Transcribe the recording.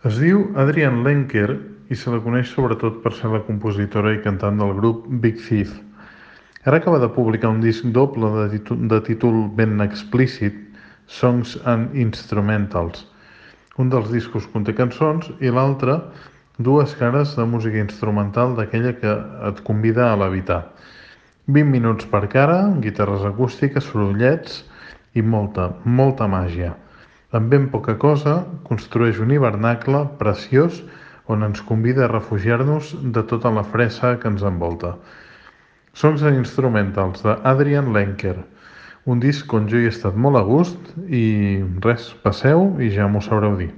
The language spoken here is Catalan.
Es diu Adrienne Lenker i se la coneix sobretot per ser la compositora i cantant del grup Big Thief. Ara acaba de publicar un disc doble de títol ben explícit, Songs and Instrumentals. Un dels discos conté cançons i l'altre dues cares de música instrumental d'aquella que et convida a levitar. 20 minuts per cara, guitarres acústiques, sorollets i molta màgia. Amb ben poca cosa, construeix un hivernacle preciós on ens convida a refugiar-nos de tota la fressa que ens envolta. Songs and Instrumentals de Adrienne Lenker, un disc on jo hi he estat molt a gust i res, passeu i ja m'ho sabreu dir.